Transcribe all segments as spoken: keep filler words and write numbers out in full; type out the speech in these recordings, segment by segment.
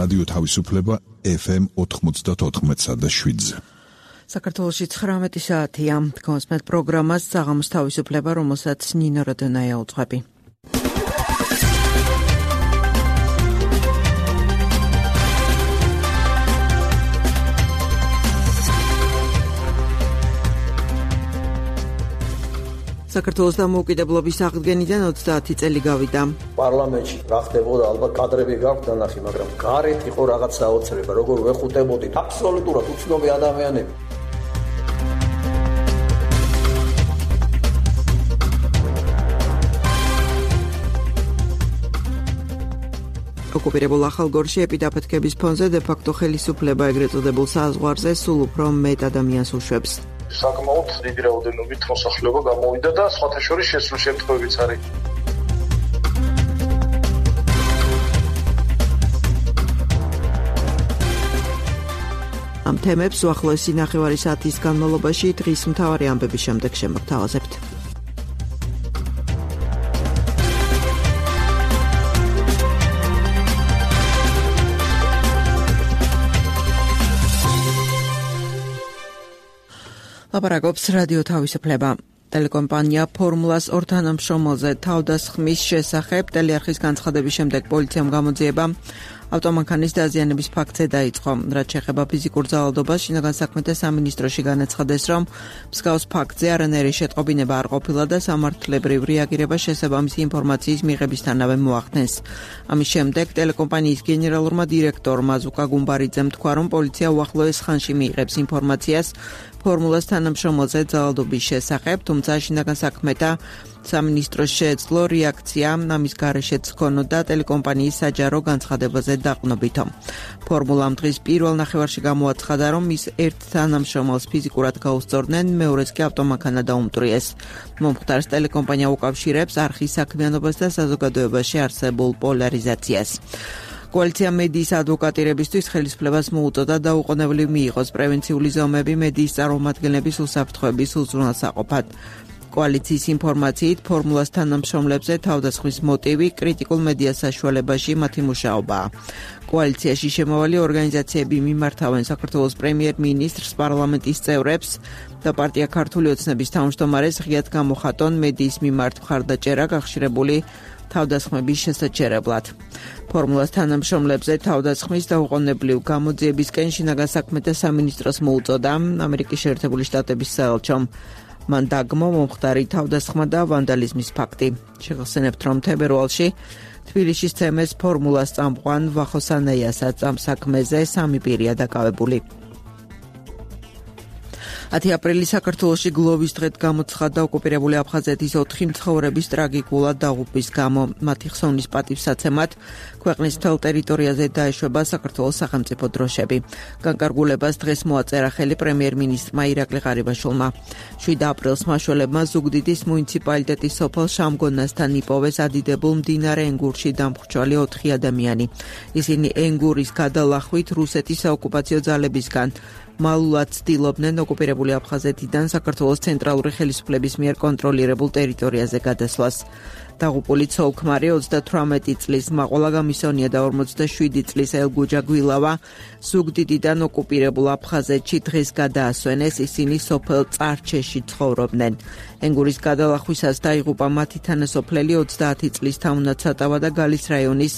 რადიო თავისუფლება ეფ ემ ოთხმოცდაოთხ და შვიდზე. საქართველოში ცხრამეტი საათია. გონსმეთ პროგრამას საღამოს თავისუფლება, რომელსაც ნინო როდონაია უძღვები. საქართველოს დამოუკიდებლობის აღდგენიდან ოცდაათი წელი გავიდა. პარლამენტში რა ხდებოდა, ალბათ კადრები გაქვთ დანახი, მაგრამ გარეთ იყო რაღაც საოცრება, როგორ ვეხუტებოდით აბსოლუტურად უცნობი ადამიანები. ოკუპირებულ ახალგორში ეპიდაფეთქების ფონზე დე-ფაქტო ხელისუფლება ეგრეთ წოდებულ საზღვარზე სულ უფრო მეტ ადამიანს უშვებს. საკმაოდ დიდი რაოდენობით მოსახლეობა გამოვიდა და სხვათა შორის შესულ შემთხვევებიც არის. ამ თემებს უახლოესი ნახევარი საათის განმავლობაში დღის მთავარი ამბების შემდეგ შემოგთავაზებთ. ლაპარაკობს რადიო თავისუფლება. ტელეკომპანია ფორმულას ორ თანამშრომელზე თავდასხმის შესახებ ტელეარხის განცხადების შემდეგ პოლიციამ გამოძიება ავტომანქანის დაზიანების ფაქტზე დაიწყო. რაც შეეხება ფიზიკურ ძალადობას, შინაგან საქმეთა სამინისტროში განაცხადეს, რომ მსგავს ფაქტზე არანაირი შეტყობინება არ ყოფილა და სამართლებრივ რეაგირება შესაბამისი ინფორმაციის მიღებისთანავე მოახდენს. ამის შემდეგ ტელეკომპანიის გენერალურმა დირექტორმა ზუკა გუმბარიძემ თქვა, რომ პოლიცია უახლოეს ხანში მიიღებს ინფორმაციას ფორმულას თანამშრომელზე ძალადობის შესახებ, თუმცა შინაგან საქმეთა სამინისტროს შეეძლო რეაქცია ამის გარეშეც ჰქონოდა ტელეკომპანიის საჯარო განცხადებაზე დაყრდნობითო. ფორმულამ დღის პირველ ნახევარში გამოაცხადა, რომ ის ერთ თანამშრომელს ფიზიკურად გაუსწორდნენ, მეორეს კი ავტომანქანა დაუმტვრიეს. მომხდარს ტელეკომპანია უკავშირებს არხის საქმიანობას და საზოგადოებაში არსებულ პოლარიზაციას. კოალიცია მედიის ადვოკატირებისთვის ხელისუფლებას მოუწოდა დაუყოვნებლივ მიიღოს პრევენციული ზომები მედიის წარმომადგენლების უსაფრთხოების უზრუნველსაყოფად. კოალიციის ინფორმაციით ფორმულას თანამშრომლებზე თავდასხმის მოტივი კრიტიკულ მედიას საშუალებაში მათი მუშაობაა. კოალიციაში შემავალი ორგანიზაციები მიმართავენ საქართველოს პრემიერ-მინისტრს, პარლამენტის წევრებს და პარტია ქართული ოცნების თავმჯდომარეს ღიად გამოხატონ მედიის მიმართ მხარდაჭერა გახშირებული თავდასხმების შესაჩერებლად. ფორმულას თანამშრომლებზე თავდასხმის დაუყოვნებლივ გამოძიებისკენ შინაგან საქმეთა სამინისტროს მოუწოდა ამერიკის შეერთებული შტატების საელჩომ. მან დაგმო მომხდარი თავდასხმა და ვანდალიზმის ფაქტი. შეგახსენებთ, რომ თებერვალში თბილისის ცემეს ფორმულას წამყვან ვახოსანაიასაც ამ საქმეზე სამი პირია დაკავებული. ათი აპრილის საქართველოში გლოვის დღედ გამოცხადდა ოკუპირებული აფხაზეთის ოთხი მცხოვრების ტრაგიკულად დაღუპვის გამო. მათი ხსოვნის პატივსაცემად ქვეყნის მთელ ტერიტორიაზე დაეშვება საქართველოს სახელმწიფო დროშები. განკარგულებას დღეს მოაწერა ხელი პრემიერ-მინისტრმა ირაკლი ღარიბაშვილმა. შვიდ აპრილს მაშველებმა ზუგდიდის მუნიციპალიტეტის სოფელ შამგონასთან იპოვეს ადიდებულ მდინარე ენგურში დამხრჩვალი ოთხი ადამიანი. ისინი ენგურის გადალახვით რუსეთის საოკუპაციო ძალებისგან მალულად ცდილობდნენ ოკუპირებული აფხაზეთიდან საქართველოს ცენტრალური ხელისუფლების მიერ კონტროლირებულ ტერიტორიაზე გადასვლას. დაღუპული ცოლ-ქმარი ოცდათვრამეტი წლის მაყოლა გამისონია და ორმოცდაშვიდი წლის ელგუჯა გვილავა ზუგდიდიდან ოკუპირებულ აფხაზეთში დღეს გადაასვენეს, ისინი სოფელ წარჩეში ცხოვრობდნენ. ენგურის გადალახვისას დაიღუპა მათი თანასოფლელი ოცდაათი წლის თამუნაცატავა და გალის რაიონის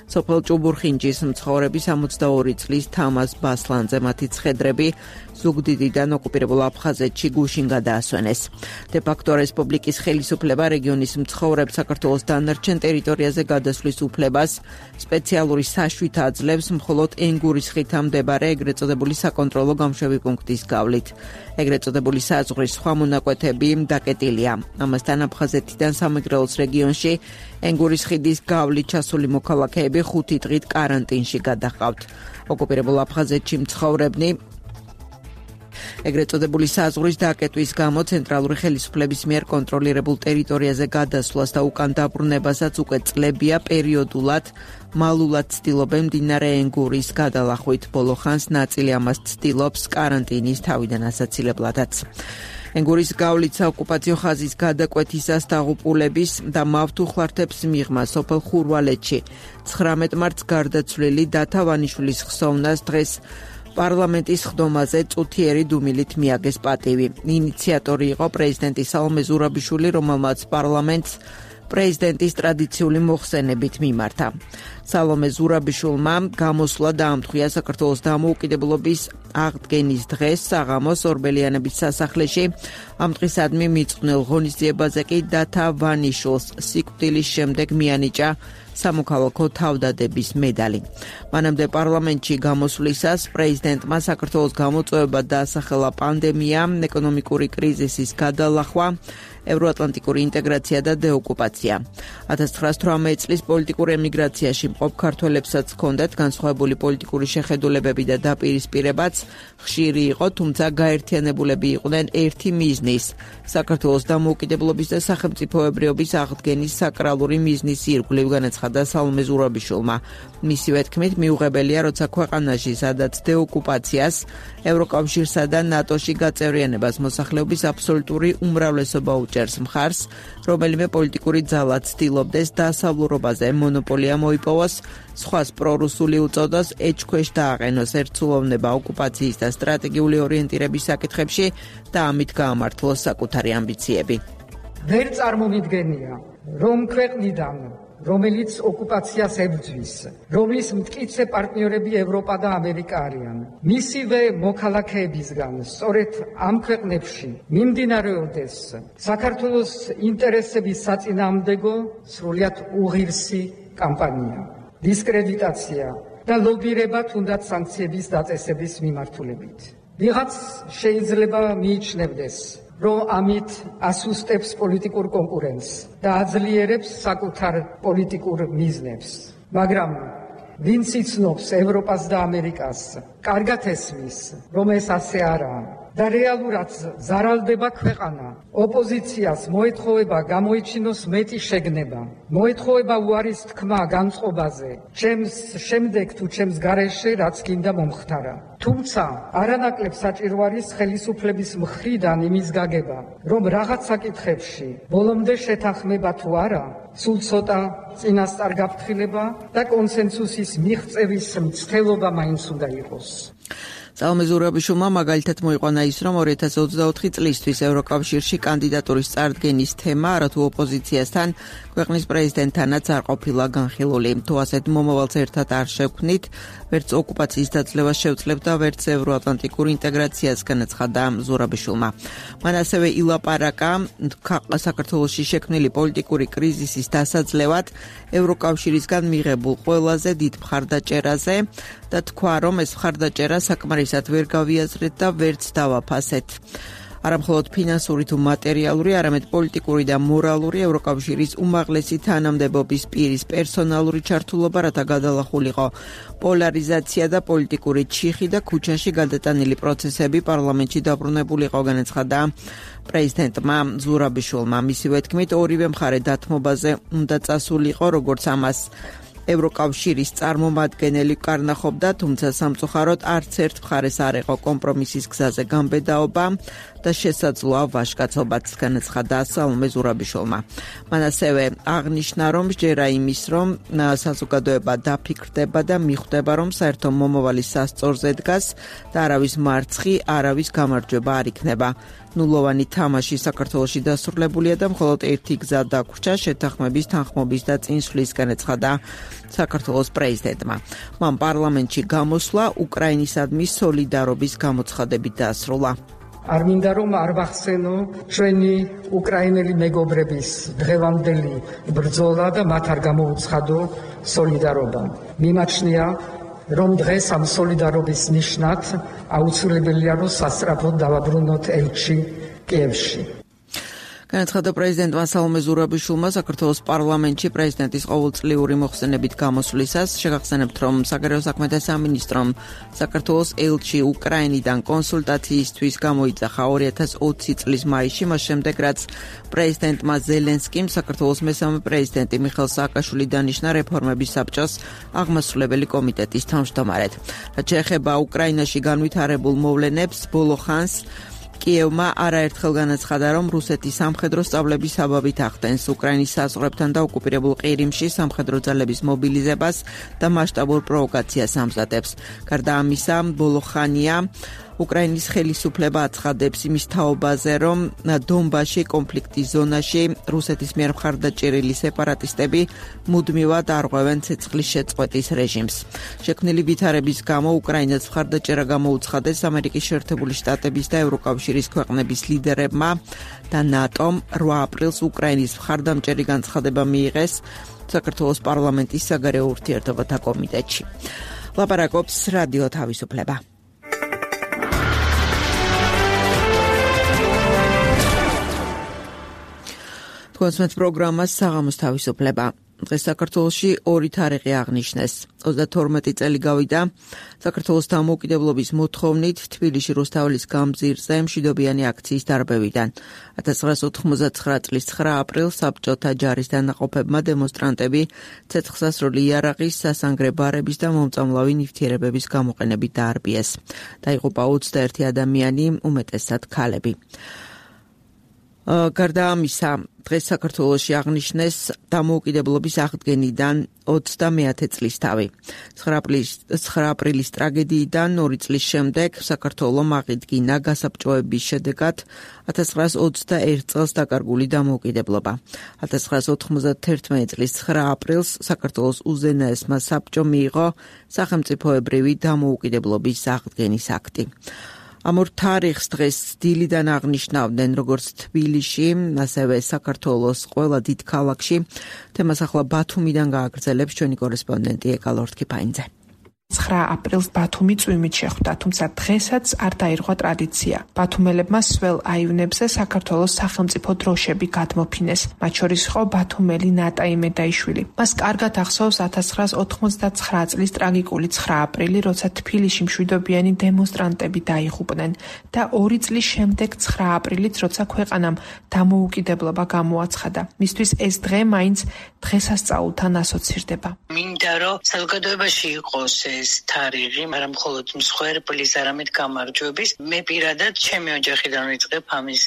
სოფელ ჭუბურხინჯის მცხოვრები სამოცდაორი წლის თამაზ ბასლანძე მათი ცხედრები ზუგდიდიდან ოკუპირებულ აფხაზეთში გუშინ გადაასვენეს. დე-ფაქტო რესპუბლიკის ხელისუფლება რეგიონის მცხოვრებ საქართველოს დანარჩენ ტერიტორიაზე გადასვლის უფლებას სპეციალური საშუით აძლევს მხოლოდ ენგურის ხითა მდებარე ეგრეთ წოდებული საკონტროლო გამშვები პუნქტის გავლით. ეგრეთ წოდებული საზღვრის სხვა მონაკვეთები დაკეტილია. ამასთან აფხაზეთიდან სამეგრელოს რეგიონში ენგურის ხიდის გავლით ჩასული მოქალაქეები ხუთი დღით კარანტინში გადაჰყავთ. ოკუპირებულ აფხაზეთში მცხოვრებნი ეგრეთ წოდებული საზღვრის დაკეტვის გამო ცენტრალური ხელისუფლების მიერ კონტროლირებულ ტერიტორიაზე გადასვლას და უკან დაბრუნებასაც უკვე წლებია პერიოდულად მალულად ცდილობენ მდინარე ენგურის გადალახვით. ბოლო ხანს ნაწილი ამას ცდილობს კარანტინის თავიდან ასაცილებლადაც. ენგურის გავლით საოკუპაციო ხაზის გადაკვეთისას დაღუპულების და მავთუხლართებს მიღმა სოფელ ხურვალეთში ცხრამეტ მარტს გარდაცვლილი დათა ვანიშვილის ხსოვნას დღეს პარლამენტის ხდომაზე წუთიერი დუმილით მიაგეს პატივი. ინიციატორი იყო პრეზიდენტი სალომე ზურაბიშვილი, რომელმაც პარლამენტს პრეზიდენტის ტრადიციული მოხსენებით მიმართა. სალომე ზურაბიშვილმა გამოსვლა დაამტყვია საქართველოს დამოუკიდებლობის აღდგენის დღეს საღამოს ორბელიანების სასახლეში. ამ დღისადმი მიწყვნილ ღონისძიებაზე კი დათა ვანიშვილს სიკვდილის შემდეგ მიანიჭა სამოქალაქო თავდადების მედალი. მანამდე პარლამენტში გამოსვლისას პრეზიდენტმა საქართველოს გამოწვევა დაასახელა პანდემია, ეკონომიკური კრიზისის გადალახვა, ევროატლანტიკური ინტეგრაცია და დეოკუპაცია. ათას ცხრაას თვრამეტ წლის პოლიტიკურ ემიგრაციაში მყოფ ქართველებსაც ჰქონდათ განსხვავებული პოლიტიკური შეხედულებები და დაპირისპირებაც ხშირი იყო, თუმცა გაერთიანებულები იყვნენ ერთი მიზნის, საქართველოს დამოუკიდებლობის და სახელმწიფოებრიობის აღდგენის საკრალური მიზნის ირგვლივ, განაცხადა სალომე ზურაბიშვილმა. მისივე თქმით, მიუღებელია, როცა ქვეყანაში, სადაც დეოკუპაციას, ევროკავშირსა და ნატოში გაწევრიანებას მოსახლეობის აბსოლუტური უმრავლესობა უჭერს მხარს, რომელიმე პოლიტიკური ძალა ცდილობდეს დასავლურობაზე მონოპოლია მოიპოვოს, სხვას პრორუსული უწოდოს, ეჭქვეშ დააყენოს ერთსულოვნება ოკუპაციის და სტრატეგიული ორიენტირების საკითხებში და ამით გაამართლოს საკუთარი ამბიციები. ვერ წარმომიდგენია, რომ ქვეყნიდან რომელიც ოკუპაციას ებრძვის, რომლის მტკიცე პარტნიორები ევროპა და ამერიკა არიან, მისივე მოქალაქეებისგან სწორედ ამ ქვეყნებში მიმდინარეობდეს საქართველოს ინტერესების საწინააღმდეგო სრულიად უღირსი კამპანია, დისკრედიტაცია და ლობირება თუნდაც სანქციების დაწესების მიმართულებით. ვიღაც შეიძლება მიიჩნევდეს, რომ ამით ასუსტებს პოლიტიკურ კონკურენცს და აძლიერებს საკუთარ პოლიტიკურ მიზნებს. მაგრამ ვინც იცნობს ევროპას და ამერიკას, კარგად ესმის, რომ ეს ასე არაა და რეალურად ზარალდება ქვეყანა. ოპოზიციას მოეთხოვება გამოიჩინოს მეტი შეგნება, მოეთხოვება უარის თქმა განწყობაზე, ჩემს შემდეგ თუ ჩემს გარეშე რაც გინდა მომხდარა. თუმცა არანაკლებ საჭირო არის ხელისუფლების მხრიდან იმის გაგება, რომ რაღაც საკითხებში ბოლომდე შეთანხმება თუ არა, სულ ცოტა წინასწარ გაფრთხილება და კონსენსუსის მიღწევის მცდელობა მაინც უნდა იყოს. სალომე ზურაბიშვილმა მაგალითად მოიყვანა ის, რომ ორი ათას ოცდაოთხი წლისთვის ევროკავშირში კანდიდატურის წარდგენის თემა არათუ ოპოზიციასთან, ქვეყნის პრეზიდენტთანაც არ ყოფილა განხილული. თუ ასეთ მომავალს ერთად არ შევქმნით, ვერც ოკუპაციის დაძლევას შევძლებთ და ვერც ევროატლანტიკურ ინტეგრაციას, განაცხადა ზურაბიშვილმა. მან ასევე ილაპარაკა საქართველოში შექმნილი პოლიტიკური კრიზისის დასაძლევად ევროკავშირისგან მიღებულ ყველაზე დიდ მხარდაჭერაზე და თქვა, რომ ეს მხარდაჭერა საკმარისად ვერ გავიაზრეთ და ვერც დავაფასეთ. არა მხოლოდ ფინანსური თუ მატერიალური, არამედ პოლიტიკური და მორალური ევროკავშირის უმაღლესი თანამდებობის პირის პერსონალური ჩართულობა, რათა გადალახულიყო პოლარიზაცია და პოლიტიკური ჩიხი და ქუჩაში გადატანილი პროცესები პარლამენტში დაბრუნებულიყო, განაცხადა პრეზიდენტმა ზურაბიშვილმა. მისივე თქმით, ორივე მხარე დათმობაზე უნდა წასულიყო, როგორც ამას ევროკავშირის წარმომადგენელი კარნახობდა, თუმცა სამწუხაროდ არც ერთ მხარეს არ იყო კომპრომისის გზაზე გამბედაობა და შესაძლოა ვაჟკაცობაც, განაცხადა სალომე ზურაბიშვილმა. მან ასევე აღნიშნა, რომ სჯერა იმის, რომ საზოგადოება დაფიქრდება და მიხვდება, რომ საერთო მომავალი სასწორზე დგას და არავის მარცხი, არავის გამარჯვება არ იქნება. ნულოვანი თამაში საქართველოში დასრულებულია და მხოლოდ ერთი გზა დაგვრჩა შეთანხმების, თანხმობის და წინსვლის, განაცხადა საქართველოს პრეზიდენტმა. მან პარლამენტში გამოსვლა უკრაინისადმი სოლიდარობის გამოცხადებით დაასრულა. არ მინდა რომ არ ვახსენო ჩვენი უკრაინელი მეგობრების დღევანდელი ბრძოლა და მათ არ გამოუცხადო სოლიდარობა. მიმაჩნია, რომ დღეს ამ სოლიდარობის ნიშნად აუცილებელია, რომ სასწრაფოდ დავაბრუნოთ ელჩი კიევში. განაცხადა პრეზიდენტმა სალომე ზურაბიშვილმა საქართველოს პარლამენტში პრეზიდენტის ყოველწლიური მოხსენებით გამოსვლისას. შეგახსენებთ, რომ საგარეო საქმეთა სამინისტრომ საქართველოს ელჩი უკრაინიდან კონსულტაციისთვის გამოიძახა ორი ათას ოცი წლის მაისში, მას შემდეგ რაც პრეზიდენტმა ზელენსკიმ საქართველოს მესამე პრეზიდენტი მიხეილ სააკაშვილი დანიშნა რეფორმების საბჭოს აღმასრულებელი კომიტეტის თავმჯდომარედ. რაც შეეხება უკრაინაში განვითარებულ მოვლენებს, ბოლო ხანს კიევმა არაერთხელ განაცხადა, რომ რუსეთის სამხედრო სწავლების საბაბით ახდენს უკრაინის საზღვრებთან და ოკუპირებულ ყირიმში სამხედრო ძალების მობილიზებას და მასშტაბურ პროვოკაციას ამზადებს. გარდა ამისა, ბოლო ხანია უკრაინის ხელისუფლება აცხადებს იმის თაობაზე, რომ დონბასში კონფლიქტის ზონაში რუსეთის მიერ მხარდაჭერილი სეპარატისტები მუდმივად არღვევენ ცეცხლის შეწყვეტის რეჟიმს. შექმნილი ვითარების გამო უკრაინას მხარდაჭერა გამოუცხადეს ამერიკის შეერთებული შტატების და ევროკავშირის ქვეყნების ლიდერებმა და ნატომ რვა აპრილს უკრაინის მხარდამჭერი განცხადება მიიღეს საქართველოს პარლამენტის საგარეო ურთიერთობათა კომიტეტში. ლაპარაკობს რადიო თავისუფლება. კონსმეთ პროგრამას საღამოს თავისუფლება. დღეს საქართველოში ორი თარიღი აღნიშნეს. ოცდათორმეტი წელი გავიდა საქართველოს დამოუკიდებლობის მოთხოვნით თბილისში რუსთაველის გამზირზე მშვიდობიანი აქციის დარბევიდან. ათას ცხრაასი ოთხმოცდათცხრა წლის ცხრა აპრილს საბჭოთა ჯარის დანაყოფებმა დემონსტრანტები ცეცხლსასროლი იარაღის, სასანგრე ბარების და მომწამლავი ნივთიერებების გამოყენებით დაარბიეს. დაიღუპა ოცდაერთი ადამიანი, უმეტესად ქალები. გარდა ამისა, დღეს საქართველოში აღნიშნეს დამოუკიდებლობის აღდგენიდან ოცდამეათე წლისთავი. ცხრა აპრილის ტრაგედიიდან ორი წლის შემდეგ საქართველომ აღიდგინა გასაბჭოების შედეგად ათას ცხრაასი ოცდაერთ წელს დაკარგული დამოუკიდებლობა. ათას ცხრაასი ოთხმოცდათერთმეტი წლის ცხრა აპრილს საქართველოს უზენაესმა საბჭომ მიიღო სახელმწიფოებრივი დამოუკიდებლობის აღდგენის აქტი. ამ ორ თარიღს დღეს დილიდან აღნიშნავდნენ როგორც თბილისში, ასევე საქართველოს ყველა დიდ ქალაქში. თემას ახლა ბათუმიდან გააგრძელებს ჩვენი კორესპონდენტი ეკალ ორთქიფაინძე. ცხრა აპრილს ბათუმი წვიმით შეხვდა, თუმცა დღესაც არ დაირღვა ტრადიცია. ბათუმელებმა სველ აივნებზე საქართველოს სახელმწიფო დროშები გადმოფინეს. მათ შორის იყო ბათუმელი ნატა იმედაიშვილი. მას კარგად ახსოვს ათას ცხრაასი ოთხმოცდაცხრა წლის ტრაგიკული ცხრა აპრილი, როცა თბილისში მშვიდობიანი დემონსტრანტები დაიღუპნენ და ორი წლის შემდეგ ცხრა აპრილიც, როცა ქვეყანამ დამოუკიდებლობა გამოაცხადა. მისთვის ეს დღე მაინც დღესასწაულთან ასოცირდება. მინდა რომ საზოგადოებაში იყოს ეს თარიღი, მაგრამ მხოლოდ მსხვერპლის, არამედ გამარჯვების. მე პირადად ჩემი ოჯახიდან ვიწყებ ამის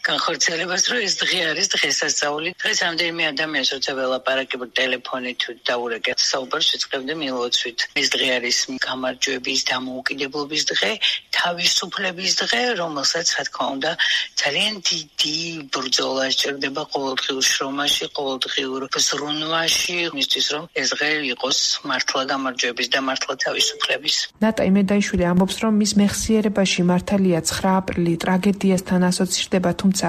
განხორციელებას, რომ ეს დღე არის დღესასწაული. დღეს ამდენიმე ადამიანს როცა ველაპარაკებთ ტელეფონით დაურეკეთ საუბარს ვიწყებდი მილოცვით. ეს დღე არის გამარჯვების, დამოუკიდებლობის დღე, თავისუფლების დღე, რომელსაც რა თქმა უნდა ძალიან დიდი ბრძოლა სჭირდება ყოველდღიურ შრომაში, ყოველდღიურ ზრუნვაში, მისთვის რომ ეს დღე იყოს მართლა გამარჯვების და მართლა თავისუფლების. ნატა იმედაიშვილი ამბობს, რომ მის მეხსიერებაში მართალია ცხრა აპრილი ტრაგედიასთან ასოცირდება, თუმცა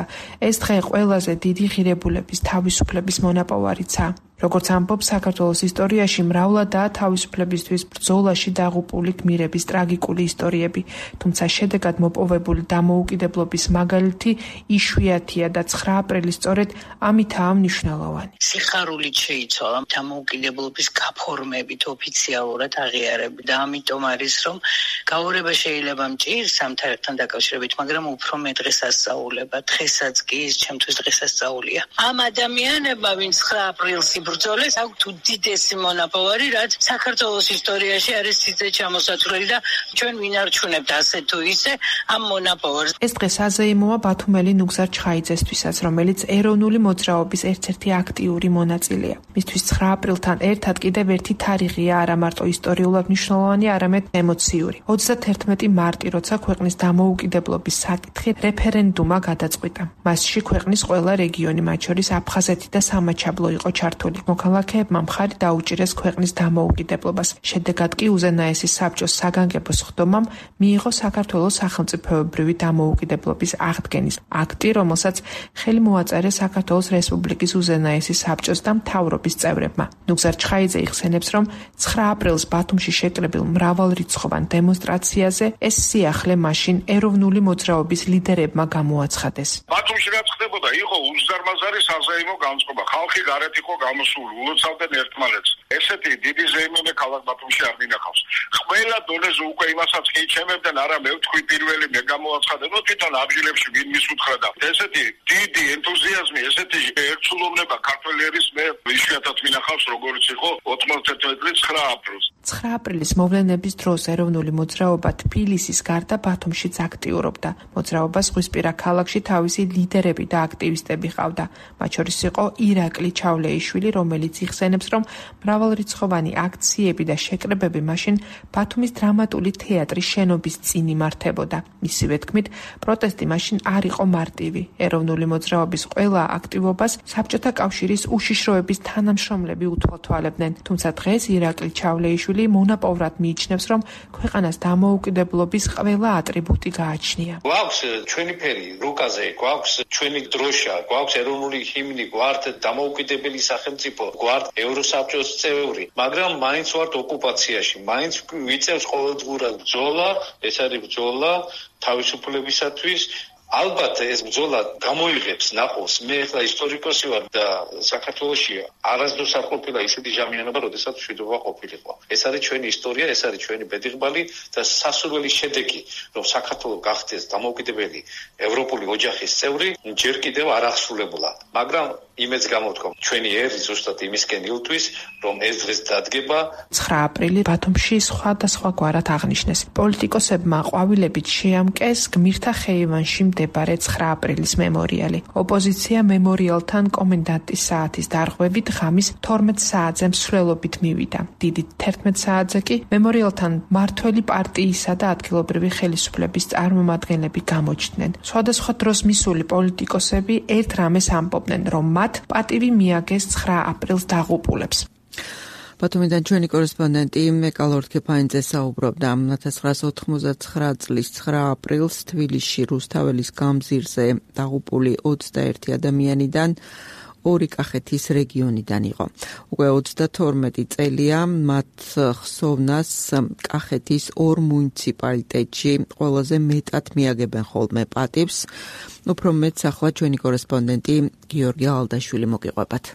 ეს დღე ყველაზე დიდი ღირებულების თავისუფლების მონაპოვარიცაა. როგორც ამბობს, საქართველოს ისტორიაში მრავლადაა თავისუფლებისთვის ბრძოლაში დაღუპული გმირების ტრაგიკული ისტორიები, თუმცა შედეგად მოპოვებული დამოუკიდებლობის მაგალითი იშვიათია და ცხრა აპრილი სწორედ ამითაა მნიშვნელოვანი. სიხარულით შეიცვალა დამოუკიდებლობის გაფორმებით ოფიციალურად აღიარები და ამიტომ არის, რომ გაურება შეიძლება მჭირს ამ თარიღთან დაკავშირებით, მაგრამ უფრო მე დღესასწაულება, დღესაც კი ის ჩემთვის დღესასწაულია. ამ ადამიანებმა, ვინც ცხრა აპრილს ბრძოლეს აქვთ უდიდესი მონაპოვარი, რაც საქართველოს ისტორიაში არის სიძე ჩამოსათვლელი და ჩვენ ვინარჩუნებთ ასე თუ ისე ამ მონაპოვარს. ეს დღე საზეიმოა ბათუმელი ნუგზარ ჩხაიძესთვისაც, რომელიც ეროვნული მოძრაობის ერთ-ერთი აქტიური მონაწილეა. მისთვის ცხრა აპრილთან ერთად კიდევ ერთი თარიღია არა მარტო ისტორიულად მნიშვნელოვანი, არამედ ემოციური. ოცდათერთმეტი მარტი, როცა ქვეყნის დამოუკიდებლობის საკითხი რეფერენდუმმა გადაწყვიტა. მასში ქვეყნის ყველა რეგიონი, მათ შორის აფხაზეთი და სამაჩაბლო იყო ჩართული. მოქალაქეებმა მხარი დაუჭირეს ქვეყნის დამოუკიდებლობას. შედეგად კი უზენაესი საბჭოს საგანგებო სხდომამ მიიღო საქართველოს სახელმწიფოებრივი დამოუკიდებლობის აღდგენის აქტი, რომელსაც ხელი მოაწერეს საქართველოს რესპუბლიკის უზენაესი საბჭოს და მთავრობის წევრებმა. ნუგზარ ჩხაიძე იხსენებს, რომ ცხრა აპრილს ბათუმში შეკრებილ მრავალრიცხოვან დემონსტრაციაზე ეს სიახლე მაშინ ეროვნული მოძრაობის ლიდერებმა გამოაცხადეს. ბათუმში რაც ხდებოდა, იყო უზარმაზარი საზეიმო განწყობა. ხალხი გარეთ იყო გამოსული, ულოცავდნენ ერთმანეთს. ესეთი დიდი ზეიმონე ქალაქ ბათუმში არ მინახავს. ყველა დონეზე უკვე იმასაც ხიჩემებდნენ, არა მე ვთქვი პირველი მე გამოაცხადე, ნუ თვითონ აბჟილებში ვინ მისუთხრა და ესეთი დიდი ენთუზიაზმი, ესეთი ერთსულოვნება ქართველების მე იშვიათად მინახავს, როგორც იყო ოცდაათერთმეტი წლის ცხრა აპრილს. ცხრა აპრილის მოვლენების დროს ეროვნული მოძრაობა თბილისის გარდა ბათუმშიც აქტიურობდა. მოძრაობას ზღვისპირა ქალაქში თავისი ლიდერები და აქტივისტები ყავდა. მათ შორის იყო ირაკლი ჩავლეიშვილი, რომელიც იხსენებს, რომ მრავალრიცხოვანი აქციები და შეკრებები მაშინ ბათუმის დრამატული თეატრის შენობის წინ იმართებოდა. მისივე თქმით, პროტესტი მაშინ არ იყო მარტივი. ეროვნული მოძრაობის ყველა აქტივობას საბჭოთა კავშირის უშიშროების თანამშრომლები უთვალთვალებდნენ. თუმცა დღეს ირაკლი ჩავლეიშვილი მონაპოვრად მიიჩნევს, რომ ქვეყანას დამოუკიდებლობის ყველა ატრიბუტი გააჩნია. გვაქვს ჩვენი ფერი რუკაზე, გვაქვს ჩვენი დროშა, გვაქვს ეროვნული ჰიმნი, გვართ დამოუკიდებელი სახელმწიფო, გვართ ევროსაბჭოს წევრი, მაგრამ მაინც ვართ ოკუპაციაში, მაინც ვიწევს ყოველდღურად ბრძოლა, ეს არის ბრძოლა თავისუფლებისათვის. ალბათ ეს ბრძოლა გამოიღებს ნაყოფს. მე ახლა ისტორიკოსი ვარ და საქართველოში არასდროს არ ყოფილა ისეთი ჟამიანობა, როდესაც მშვიდობა ყოფილიყო. ეს არის ჩვენი ისტორია, ეს არის ჩვენი ბედიღბალი და სასურველი შედეგი, რომ საქართველო გახდეს დამოუკიდებელი ევროპული ოჯახის წევრი, ჯერ კიდევ არ აღსრულებულა. მაგრამ იმედს გამოთქვამ, ჩვენი ერი ზუსტად იმისკენ ილთვის, რომ ეს დღეს დადგება. ცხრა აპრილი ბათუმში სხვადასხვაგვარად აღნიშნეს. პოლიტიკოსებმა ყვავილებით შეამკეს გმირთა ხეივანში მდებარე ცხრა აპრილის მემორიალი. ოპოზიცია მემორიალთან კომენდანტის საათის დარღვევით ღამის თორმეტ საათზე მსვლელობით მივიდა. დიდი თერთმეტ საათზე კი მემორიალთან მმართველი პარტიისა და ადგილობრივი ხელისუფლების წარმომადგენლები გამოჩნდნენ. სხვადასხვა დროს მისული პოლიტიკოსები ერთ რამეს ამბობდნენ, რომ მათ პატივი მიაგეს ცხრა აპრილს დაღუპულებს. ბათუმიდან ჩვენი კორესპონდენტი მეკალორ ქეფაინძე საუბრობდა ნაინდ ოთხმოცდაცხრა წლის ცხრა აპრილს თბილისში რუსთაველის გამზირზე დაღუპული ოცდაერთი ადამიანიდან ორი კახეთის რეგიონიდან იყო. უკვე ოცდათორმეტი წელია მათ ხსოვნას კახეთის ორ მუნიციპალიტეტში ყველაზე მეტად მიაგებენ ხოლმე პატივს. უფრო მეტს ახლა ჩვენი კორესპონდენტი გიორგი ალდაშვილი მოგიყვებათ.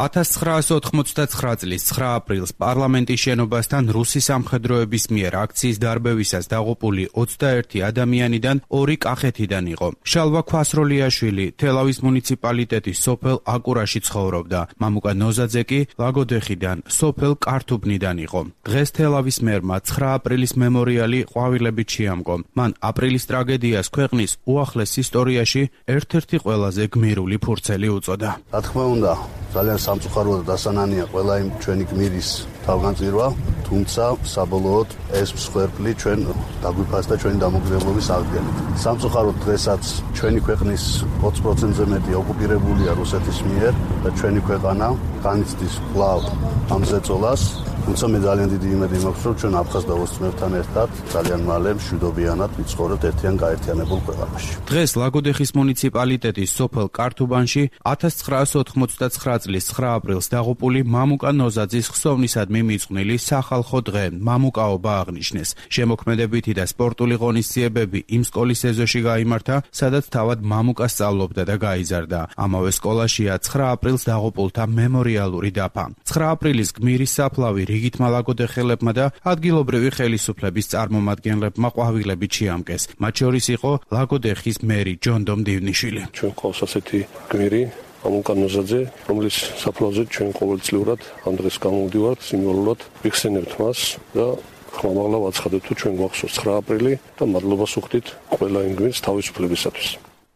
ათას ცხრაასი ოთხმოცდაცხრა წლის ცხრა აპრილს პარლამენტის შენობასთან რუსი სამხედროების მიერ აქციის დარბევისას დაღუპული ოცდაერთი ადამიანიდან ორი კახეთიდან იყო. შალვა ქვასროლიაშვილი თელავის მუნიციპალიტეტის სოფელ აკურაში ცხოვრობდა. მამუკა ნოზაძე კი ლაგოდეხიდან სოფელ კართუბნიდან იყო. დღეს თელავის მერმა ცხრა აპრილის მემორიალი ყვავილებით შეამკო. მან აპრილის ტრაგედიას ქვეყნის უახლეს ისტორიაში ერთ-ერთი ყველაზე გმირული ფურცელი უწოდა. რა თქმა უნდა, ძალიან სამწუხაროა და დასანანია ყველა იმ ჩვენი გმირის თავგანწირვა, თუმცა საბოლოოდ ეს მსხვერპლი ჩვენ დაგვიფასდა ჩვენი დამოუკიდებლობის აღდგენით. სამწუხაროდ დღესაც ჩვენი ქვეყნის ოცი პროცენტზე მეტი ოკუპირებულია რუსეთის მიერ და ჩვენი ქვეყანა განიცდის კვლავ ამ ზეწოლას. თუმცა მე ძალიან დიდი იმედი მაქვს, რომ ჩვენ აფხაზ და ოსმებთან ერთად ძალიან მალე მშვიდობიანად ვიცხოვრებთ ერთიან გაერთიანებულ ქვეყანაში. დღეს ლაგოდეხის მუნიციპალიტეტის სოფელ კართუბანში ათას ცხრაასი ოთხმოცდაცხრა წლის ცხრა აპრილს დაღუპული მამუკა ნოზაძის ხსოვნისადმი მიძღვნილი სახალხო დღე მამუკაობა აღნიშნეს. შემოქმედებითი და სპორტული ღონისძიებები იმ სკოლის ეზოში გაიმართა, სადაც თავად მამუკა სწავლობდა და გაიზარდა. ამავე სკოლაშია ცხრა აპრილს დაღუპულთა მემორიალური დაფა. ცხრა აპრილის გმირის საფლავი რიგითმა ლაგოდეხელებმა და ადგილობრივი ხელისუფლების წარმომადგენლებმა ყვავილებით შეამკეს. მათ შორის იყო ლაგოდეხის მერი ჯონდო მდივნიშვილი. ჩვენ ყავს ასეთი გმირი მამუკა ნოზაძე, რომლის საფლავზე ჩვენ ყოველწლიურად ამ დღეს გამოვდივართ, სიმბოლურად ვიხსენებთ მას და ხმამაღლა ვაცხადებ, თუ ჩვენ გვახსოვს ცხრა აპრილი და მადლობას ვუხდით ყველა იმ გმირს თავისუფლებისათვის.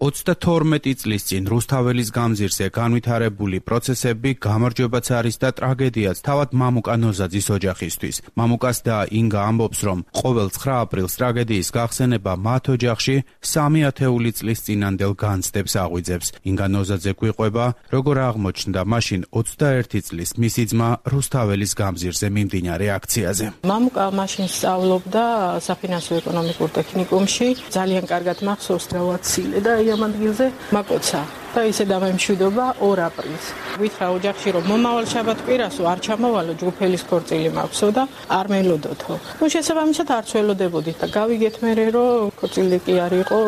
ოცდათორმეტი წლის წინ რუსთაველის გამზირზე განვითარებული პროცესები გამარჯვებაც არის და ტრაგედიაც თავად მამუკა ნოზაძის ოჯახისთვის. მამუკას და ინგა ამბობს, რომ ყოველ ცხრა აპრილს ტრაგედიის გახსენება მათ ოჯახში სამი ათეული წლის წინანდელ განცდებს აღვიძებს. ინგა ნოზაძე გვიყვება, როგორ აღმოჩნდა მაშინ ოცდაერთი წლის მისი ძმა რუსთაველის გამზირზე მიმდინარე აქციაზე. მამუკა მაშინ სწავლობდა საფინანსო ეკონომიკურ ტექნიკუმში, ძალიან კარგად მახსოვს რავაცილე და ამ ადგილზე მაკოცა და ისე დამემშვიდობა ორ აპრილს. ვითხრა ოჯახში, რომ მომავალ შაბათ-კვირასო არ ჩამოვალო, ჯგუფელის ქორწილი მაქვსო და არ მელოდოთო. ნუ შესაბამისად არც ველოდებოდით და გავიგეთ მერე, რომ ქორწილი კი არ იყო,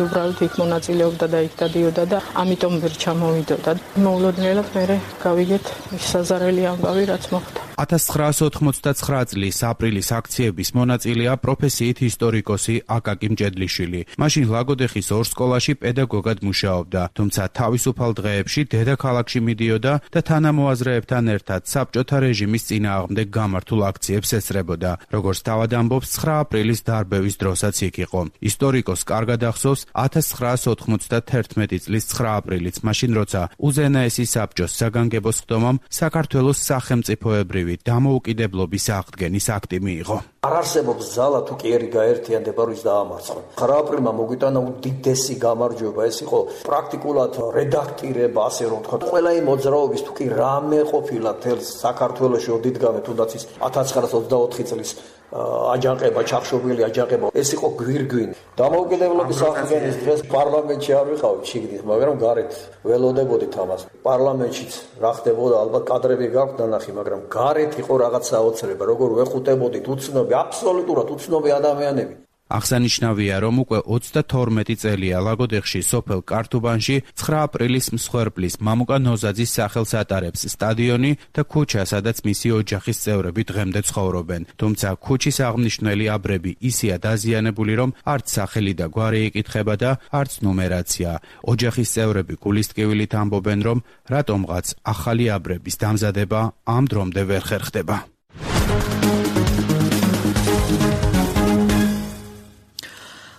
უბრალოდ იქ მონაწილეობდა და იქ დადიოდა და ამიტომ ვერ ჩამოვიდოდა. მოულოდნელად მერე გავიგეთ ის საზარელი ამბავი, რაც მოხდა. ათას ცხრაასი ოთხმოცდათცხრა წლის აპრილის აქციების მონაწილეა პროფესიით ისტორიკოსი აკაკი მჭედლიშვილი. მაშინ ლაგოდეხის ორ სკოლაში პედაგოგად მუშაობდა, თუმცა თავისუფალ დღეებში დედაქალაქში მიდიოდა და თანამოაზრეებთან ერთად საბჭოთა რეჟიმის წინააღმდეგ გამართულ აქციებს ესწრებოდა. როგორც თავად ამბობს, ცხრა აპრილის დარბევის დროსაც იქ იყო. ისტორიკოს კარგად ახსოვს ათას ცხრაასი ოთხმოცდათერთმეტი წლის ცხრა აპრილიც, მაშინ როცა უზენაესი საბჭოს საგანგებო სხდომამ საქართველოს სახელმწიფოებრივი დამოუკიდებლობის აღდგენის აქტი მიიღო. არ არსებობს ძალა თუ კი ერი გაერთიანდება რის დაამარცხო. ცხრა აპრილმა მოგვიტანა უდიდესი გამარჯვება, ეს იყო პრაქტიკულად რედაქტირება, ასე რომ ვთქვათ, ყველა იმ მოძრაობის თუ კი რამე ყოფილა თელ საქართველოში ოდითგანვე, თუნდაც ის ათას ცხრაასი ოცდაოთხი წლის აჯანყება, ჩახშობილი აჯანყება, ეს იყო გვირგვინი. დამოუკიდებლობის აღდგენის დღეს პარლამენტში არ ვიყავით შიგნით, მაგრამ გარეთ ველოდებოდით ამას. პარლამენტშიც რა ხდებოდა, ალბათ კადრები გაქვთ ნანახი, მაგრამ გარეთ იყო რაღაც საოცრება, როგორ ვეხუტებოდით უცნობი, აბსოლუტურად უცნობი ადამიანები. აღსანიშნავია, რომ უკვე ოცდათორმეტი წელია ლაგოდეხში სოფელ კართუბანში ცხრა აპრილის მსხვერპლის მამუკა ნოზაძის სახელს ატარებს სტადიონი და ქუჩა, სადაც მისი ოჯახის წევრები დღემდე ცხოვრობენ. თუმცა ქუჩის აღნიშნული აბრები ისეა დაზიანებული, რომ არც სახელი და გვარი იკითხება და არც ნუმერაცია. ოჯახის წევრები გულისტკივილით ამბობენ, რომ რატომღაც ახალი აბრების დამზადება ამ დრომდე ვერ ხერხდება.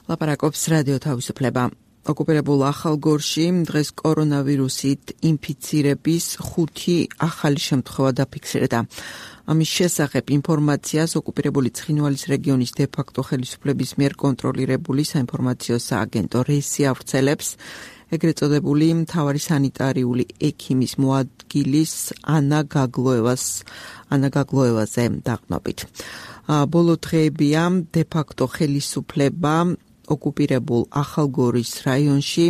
ლაპარაკობს რადიო თავისუფლება. ოკუპირებულ ახალგორში დღეს კორონავირუსით ინფიცირების ხუთი ახალი შემთხვევა დაფიქსირდა. ამის შესახებ ინფორმაციას ოკუპირებული ცხინვალის რეგიონის დე-ფაქტო ხელისუფლების მიერ კონტროლირებული საინფორმაციო სააგენტო რესი ავრცელებს. ეგრეთ წოდებული მთავარი სანიტარიული ექიმის მოადგილის ანა გაგლოევას ანა გაგლოევაზე დაყნობით. ბოლო დღეებია დე-ფაქტო ხელისუფლება ოკუპირებულ ახალგორის რაიონში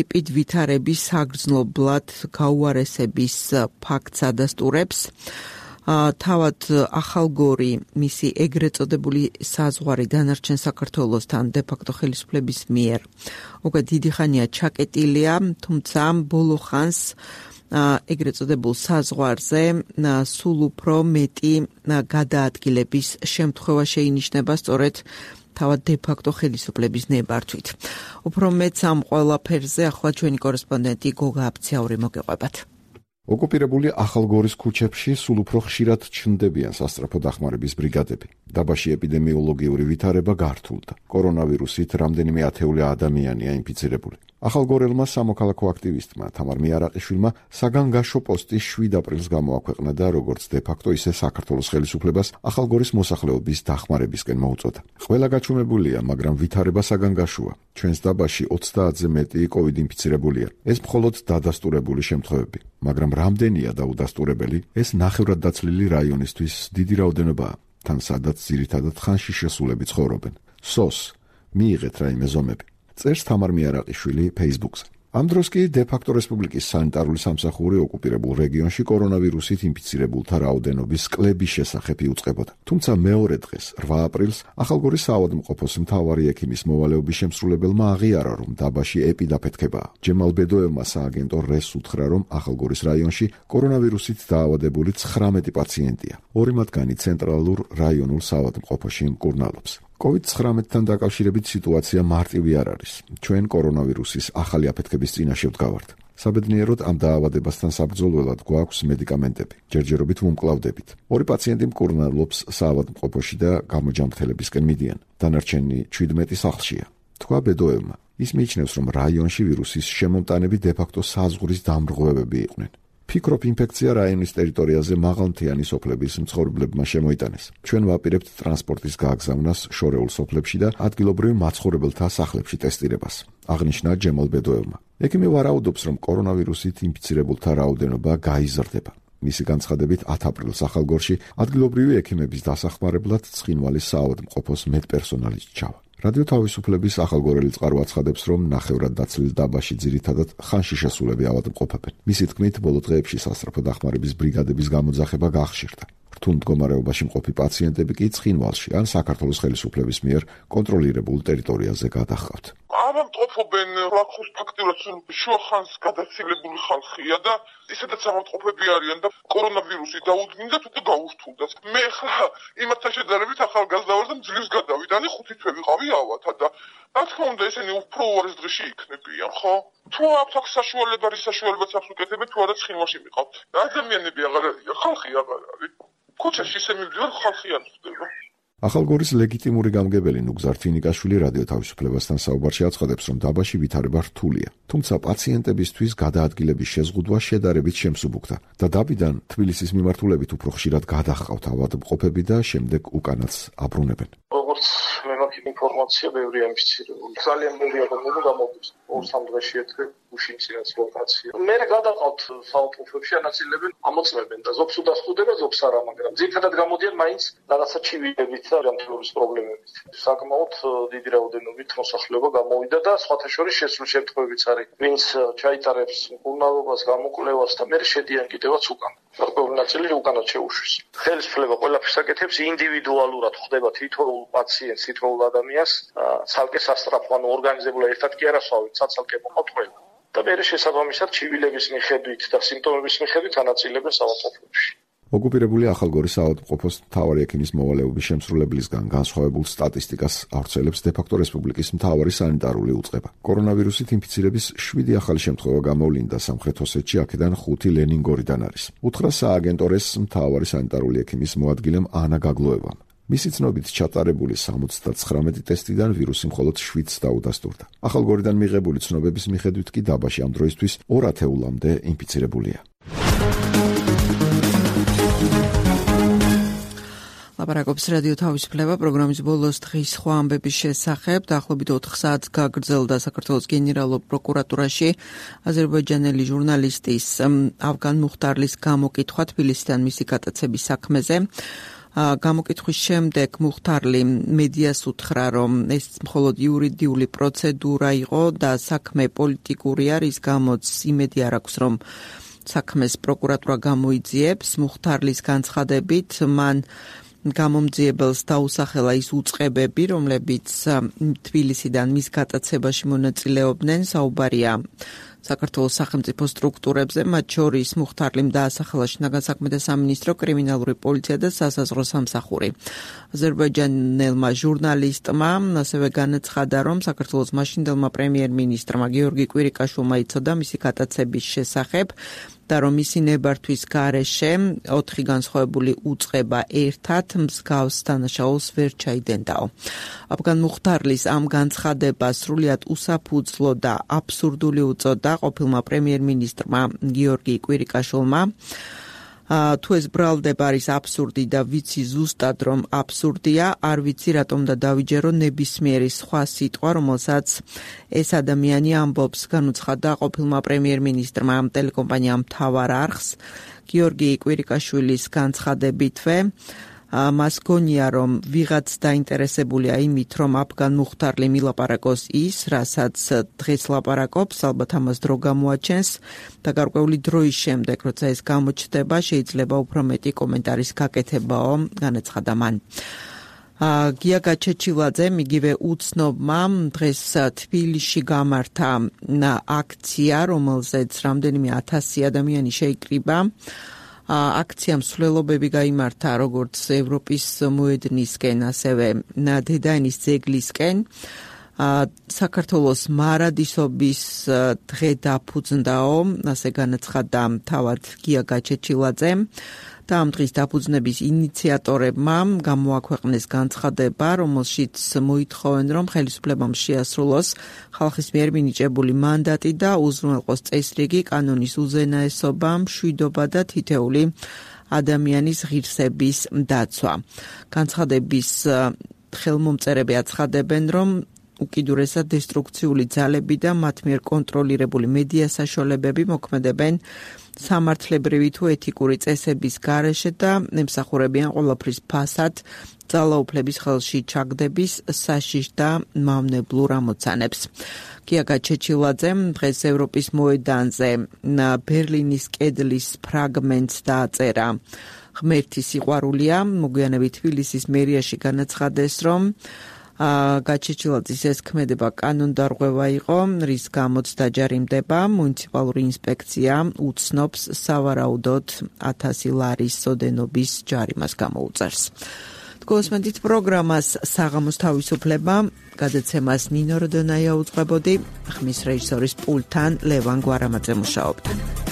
ეპიდვითარების საგრძნობლად გაუარესების ფაქტს ადასტურებს. თავად ახალგორი მისი ეგრეთ წოდებული საზღვარი დანარჩენ საქართველოსთან დე-ფაქტო ხელისუფლების მიერ უკვე დიდი ხანია ჩაკეტილია, თუმცა ბოლო ხანს ეგრეთ წოდებულ საზღვარზე სულ უფრო მეტი გადაადგილების შემთხვევა შეინიშნება სწორედ თავად დე-ფაქტო ხელისუფლების ნებართვით. უფრო მეც ამ ყველაფერზე ახლა ჩვენი კორესპონდენტი გოგა აბცაური მოგეყვებათ. ოკუპირებული ახალგორის ქუჩებში სულ უფრო ხშირად ჩნდებიან სასწრაფო დახმარების ბრიგადები. დაბაში ეპიდემიოლოგიური ვითარება გართულდა. კორონავირუსით რამდენიმე ათეული ადამიანია ინფიცირებული. ახალგორელმა სამოქალაქო აქტივისტმა თამარ მიარაყიშვილმა საგანგაშო პოსტი შვიდ აპრილს გამოაქვეყნა და როგორც დე-ფაქტო ისე საქართველოს ხელისუფლებას ახალგორის მოსახლეობის დახმარებისკენ მოუწოდა. ყველა გაჩვენებულია, მაგრამ ვითარება საგანგაშოა. ჩვენს დაბაში ოცდაათზე მეტი კოვიდ ინფიცირებულია. ეს მხოლოდ დადასტურებული შემთხვევები, მაგრამ რამდენია დაუდასტურებელი, ეს ნახევრად დაცლილი რაიონისთვის დიდი რაოდენობაა, თან სადაც ძირითადად ხანში შესულები ცხოვრობენ. სოს მიიღეთ რაიმე ზომები. წერს თამარ მიარაყიშვილი Facebook-ზე. ამ დროს კი დე-ფაქტო რესპუბლიკის სანიტარული სამსახური ოკუპირებულ რეგიონში კორონავირუსით ინფიცირებულთა რაოდენობის კლების შესახებ იუწყებოდა. თუმცა მეორე დღეს, რვა აპრილს, ახალგორის საავადმყოფოს მთავარი ექიმის მოვალეობის შემსრულებელმა აღიარა, რომ დაბაში ეპიდაფეთქებაა. ჯემალ ბედოევმა სააგენტო რესს უთხრა, რომ ახალგორის რაიონში კორონავირუსით დაავადებული ცხრამეტი პაციენტია. ორი მათგანი ცენტრალურ რაიონულ საავადმყოფოში მკურნალობს. კოვიდ ცხრამეტთან დაკავშირებით სიტუაცია მარტივი არ არის. ჩვენ კორონავირუსის ახალი აფეთქების წინაშე ვდგავართ. საბედნიეროდ ამ დაავადებასთან საბრძოლველად გვაქვს მედიკამენტები. ჯერჯერობით ვუმკლავდებით. ორი პაციენტი მკურნალობს საავადმყოფოში და გამოჯანმრთელებისკენ მიდიან. დანარჩენი ჩვიდმეტი სახლშია. თქვა ბედოევმა. ის მიიჩნევს, რომ რაიონში ვირუსის შემომტანები დე-ფაქტო საზღვრის დამრღვევები იყვნენ. ფიქრობ, ინფექცია რაიონის ტერიტორიაზე მაღალმთიანი სოფლების მცხოვრებლებმა შემოიტანეს. ჩვენ ვაპირებთ ტრანსპორტის გააგზავნას შორეულ სოფლებში და ადგილობრივ მაცხოვრებელთა სახლებში ტესტირებას. აღნიშნა ჯემალ ბედოევმა. ექიმი ვარაუდობს, რომ კორონავირუსით ინფიცირებულთა რაოდენობა გაიზრდება. მისი განცხადებით ათ აპრილს ახალგორში ადგილობრივი ექიმების დასახმარებლად ცხინვალის საავადმყოფოს მედპერსონალი ჩავა. რადიო თავისუფლების ახალგორელი წყარო აცხადებს, რომ ნახევრად დაცლილ დაბაში ძირითადად ხანში შესულები ავადმყოფებენ. მისი თქმით, ბოლო დღეებში სასწრაფო დახმარების ბრიგადების გამოძახება გახშირდა. თუ მდგომარეობაში მყოფი პაციენტები კი ცხინვალში ან საქართველოს ხელისუფლების მიერ კონტროლირებულ ტერიტორიაზე გადაჰყავთ. ავადმყოფობენ ლახოს ფაქტიურად შუახანს გადაცილებული ხალხია და ისედაც ავადმყოფები არიან და კორონავირუსი დაუდგინდათ და გაურთულდათ. მე ხა იმათთან შედარებით ახალგაზრდა ვარ და მძლივს გადავიდანი ხუთი თვე ვიყავი ავათა და რა თქმა უნდა ესენი უფრო უარეს დღეში იქნებიან, ხო? თუ აქვს აქ საშუალება, რის საშუალებაც აქვს უკეთებენ, თუ არა ცხინვალში მიყავთ. ადამიანები აღარ არიან, ხალხი აღარ არის. ქუჩაში ისე მივდივარ, ხალხი არ ხდება. ახალგორის ლეგიტიმური გამგებელი ნუგზარ თინიკაშვილი რადიო თავისუფლებასთან საუბარში აცხადებს, რომ დაბაში ვითარება რთულია, თუმცა პაციენტებისთვის გადაადგილების შეზღუდვა შედარებით შემსუბუქდა და დაბიდან თბილისის მიმართულებით უფრო ხშირად გადაჰყავთ ავადმყოფები და შემდეგ უკანაც აბრუნებენ. როგორც მე მაქვს ინფორმაცია, ბევრი ამფიცირებული. ძალიან ბევრი ადამიანი გამოვიდა. ორ-სამ დღეში ერთხელ უშინცინაც ლოკაცია. მე გადაყავთ საავადმყოფოში, ანაწილებენ, ამოწმებენ და ზოგს უდასხდება, ზოგს არა, მაგრამ ძირითადად გამოდიან მაინც რაღაცა ჩივილებით და ჯანმრთელობის პრობლემებით. საკმაოდ დიდი რაოდენობით მოსახლეობა გამოვიდა და სხვათა შორის შესულ შემთხვევებიც არის, ვინც ჩაიტარებს მკურნალობას, გამოკვლევას და მე შედიან კიდევაც უკან. გარკვეული ნაწილი უკანაც შეუშვის. ხელისუფლება ყველაფერს აკეთებს ინდივიდუალურად, ხდება თითოეულ პაციენტს, თითოეულ ადამიანს, ცალკე სასწრაფო, ანუ ორგანიზებულად ერთად კი არ ასვავენ, ცალ-ცალკე მოყავთ ყველა. და მე შესაბამისად ჩივილების მიხედვით და სიმპტომების მიხედვით ანაწილებენ საავადმყოფოში. ოკუპირებული ახალგორის საავადმყოფოს მთავარი ექიმის მოვალეობის შემსრულებლისგან განსხვავებულ სტატისტიკას ავრცელებს დე-ფაქტო რესპუბლიკის მთავარი სანიტარული უწყება. კორონავირუსით ინფიცირების შვიდი ახალი შემთხვევა გამოვლინდა სამხრეთ ოსეთში, აქედან ხუთი ლენინგორიდან არის. უთხრა სააგენტორეს მთავარი სანიტარული ექიმის მოადგილემ ანა გაგლოევამ. მისი ცნობით ჩატარებული სამოცდათხრამეტი ტესტიდან ვირუსი მხოლოდ შვიდს დაუდასტურდა. ახალგორიდან მიღებული ცნობების მიხედვით კი დაბაში ამ დროისთვის ორ ათეულამდე ინფიცირებულია. ლაპარაკობს რადიო თავისუფლება პროგრამის ბოლოს დღის სხვა ამბების შესახებ. დაახლოებით ოთხ საათს გაგრძელდა საქართველოს გენერალურ პროკურატურაში აზერბაიჯანელი ჟურნალისტის ავგან მუხტარლის გამოკითხვა თბილისიდან მისი გატაცების საქმეზე. გამოკითხვის შემდეგ მუხტარლი მედიას უთხრა, რომ ეს მხოლოდ იურიდიული პროცედურა იყო და საქმე პოლიტიკურია, რის გამოც იმედი არ აქვს, რომ საქმეს პროკურატურა გამოიძიებს. მუხტარლის განცხადებით, მან გამომძიებელს დაუსახელა ის უწყებები, რომლებიც თბილისიდან მის გატაცებაში მონაწილეობდნენ. საუბარია საქართველოს სახელმწიფო სტრუქტურებზე, მათ შორის მუხტარლიმ დაასახელა შინაგან საქმეთა სამინისტრო, კრიმინალური პოლიცია და სასაზღვრო სამსახური. აზერბაიჯანელმა ჟურნალისტმა ასევე განაცხადა, რომ საქართველოს მაშინდელმა პრემიერ-მინისტრმა გიორგი კვირიკაშვილმა იცოდა მისი გატაცების შესახებ და რომ მისი ნებართვის გარეშე ოთხი განსხვავებული უწყება ერთად მსგავს დანაშაულს ვერ ჩაიდენდაო. ავგან მუხტარლის ამ განცხადებას სრულიად უსაფუძვლო და აბსურდული უწოდა ყოფილმა პრემიერ-მინისტრმა გიორგი კვირიკაშვილმა. თუ ეს ბრალდება არის აბსურდი და ვიცი ზუსტად რომ აბსურდია, არ ვიცი რატომ და დავიჯერო ნებისმიერი სხვა სიტყვა, რომელსაც ეს ადამიანი ამბობს, განუცხადა ყოფილმა პრემიერ-მინისტრმა ტელეკომპანიამ მთავარ არხს. გიორგი კვირიკაშვილის განცხადებითვე მას გონია, რომ ვიღაც დაინტერესებულია იმით, რომ ავგან მუხტარლი მილაპარაკოს ის, რასაც დღეს ლაპარაკობს, ალბათ ამას დრო გამოაჩენს და გარკვეული დროის შემდეგ, როცა ეს გამოჩნდება, შეიძლება უფრო მეტი კომენტარის გაკეთებაო, განაცხადა მან. გია გაჩეჩილაძემ, იგივე უცნობმა, დღეს თბილისში გამართა აქცია, რომელზეც რამდენიმე ათასი ადამიანი შეიკრიბა. აქციამ მსვლელობები გაიმართა როგორც ევროპის მოედნისკენ, ასევე დედაენის ძეგლისკენ. საქართველოს მარადისობის დღე დაფუძნდაო, ასე განაცხადა თავად გია გაჩეჩილაძემ. და ამ დღის დაფუძნების ინიციატორებმა გამოაქვეყნეს განცხადება, რომელშიც მოითხოვენ, რომ ხელისუფლებამ შეასრულოს ხალხის მიერ მინიჭებული მანდატი და უზრუნველყოს წესრიგი, კანონის უზენაესობა, მშვიდობა და თითეული ადამიანის ღირსების დაცვა. განცხადების ხელმომწერები აცხადებენ, რომ უკიდურესად დესტრუქციული ძალები და მათ მიერ კონტროლირებული მედია საშუალებები მოქმედებენ სამართლებრივი თუ ეთიკური წესების გარეშე და ემსახურებიან ყველაფრის ფასად ძალაუფლების ხელში ჩაგდების საშიშ და მავნებლურ ამოცანებს. გია გაჩეჩილაძემ დღეს ევროპის მოედანზე ბერლინის კედლის ფრაგმენტს დააწერა ღმერთი სიყვარულია. მოგვიანებით თბილისის მერიაში განაცხადეს, რომ გაჩეჩილაძის ეს ქმედება კანონდარღვევა იყო, რის გამოც დაჯარიმდება. მუნიციპალური ინსპექცია უცნობს სავარაუდოდ ათასი ლარის სოდენობის ჯარიმას გამოუწევს. გოსმენდით პროგრამას საღამოს თავისუფლება, გადაცემას ნინო როდონაია უძღვებოდი, ხმის რეჟისორის პულტთან ლევან გვარამაძე მუშაობდა.